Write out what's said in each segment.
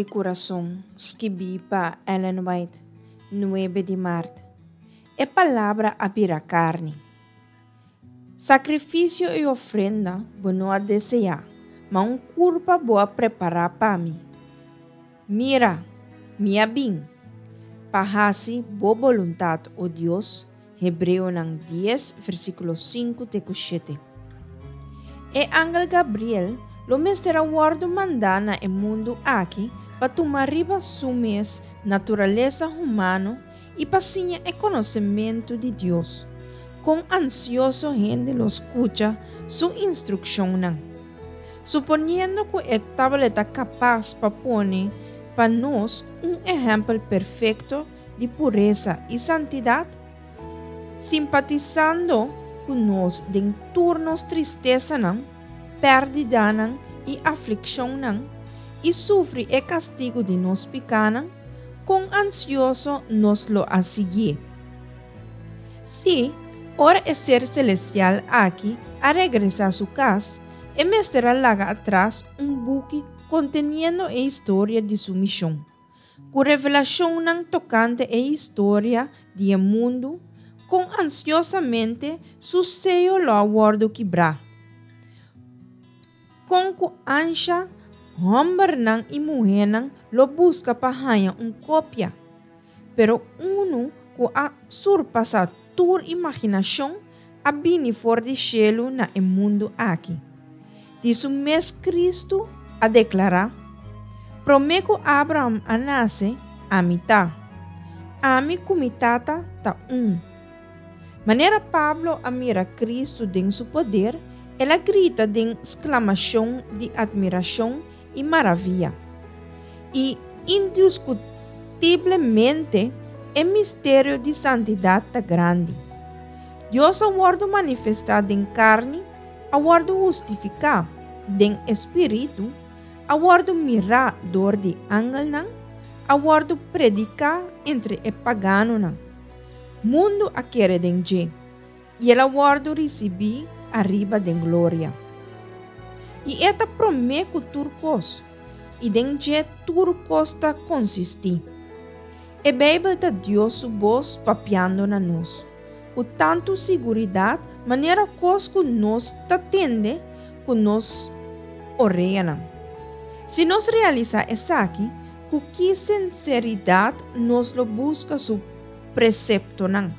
kurason, skibí pa Ellen White, nuebe di mart. E Palabra a bira karni. Sakrifisio i ofrenda bo no a deseá, ma un kurpa bo a prepará pa mi. Mira, mi a bin, pa hasi bo boluntat, o Dios, Hebreonan dies, versíkulo sinku te ku shete. E angel Gabriel lo mester a wòrdu mandá na e mundu aki pa tuma riba su mes naturalesa humano i pa siña e konosementu di Dios. Kon ansioso hende lo skucha su instrukshonnan! Suponiendo ku e tabata kapas pa pone pa nos un ehèmpel perfekto di puresa i santidat, simpatisando ku nos den tur nos tristesanan, pèrdidanan i aflikshonnan, i sufri e kastigu di nos pikánan, kon ansioso nos lo a siguié. Sí, ora e ser selestial aki a regresá su kas, e mester a laga atras un buki konteniendo e historia di su mishon, ku revelashonnan tokante e historia di e mundu, kon ansiosamente su seyo lo a wòrdu kibrá. Kon ku ansha hòmbernan i muhénan lo buska pa haña un kopia, pero unu ku a surpasá tur imaginashon a bini for di shelu na e mundu aki. Di su mes Kristu a deklará, Promé ku Abraham a nase, ami ta. Ami ku mi Tata ta un. Manera Pablo a mira Kristu den su poder, el a grita den sklamashon di atmirashon i maravia. I indiskutiblemente e misterio di santidat ta grandi. Dios a wòrdu manifestá den karni, a wòrdu hustifiká den e spiritu, a wòrdu mirá dor di angelnan, a wòrdu prediká entre e paganonan. Mundu a kere den dje, i el a wòrdu risibí ariba den gloria. I e ta promé ku tur kos, i den dje tur kos ta konsistí. E Beibel ta Dios su bos papiando na nos, ku tantu siguridat manera kos ku nos ta tende ku nos oreanan. Si nos realisá esaki, ku ki sinseridat nos lo buska su preseptonan.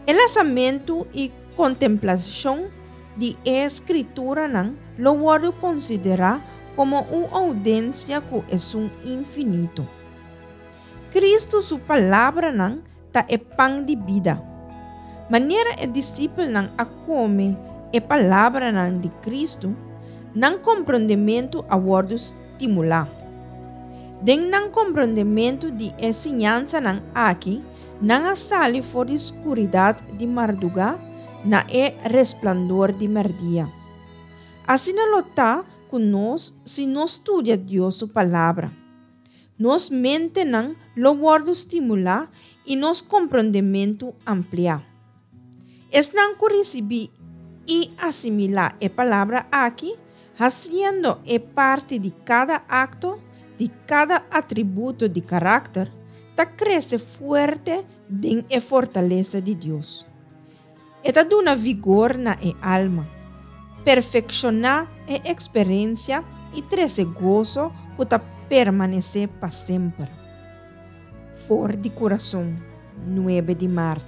E lasamentu i kontemplashon di e Skrituranan lo wòrdu konsiderá komo un oudensia ku Esun Infinito. Kristu su palabranan ta e pan di bida. Manera e disipelnan a kome e palabranan di Kristu, nan komprondementu a wòrdu stimulá. Den nan komprondementu di e siñansanan aki, nan a sali for di skuridat di mardugá na e resplandor di mèrdia. Asina lo ta ku nos si nos studia Dios su Palabra. Nos mentenan lo wòrdu stimulá i nos komprondementu ampliá. Esnan ku risibí i asimilá e palabra aki, hasiendo e parti di kada akto, di kada atributo di karakter, ta krese fuerte den e fortalesa di Dios. E ta duna vigor na e alma, perfekshoná e eksperensia i trese goso ku ta permanesé pa semper. For di kurason, nuebe di mart.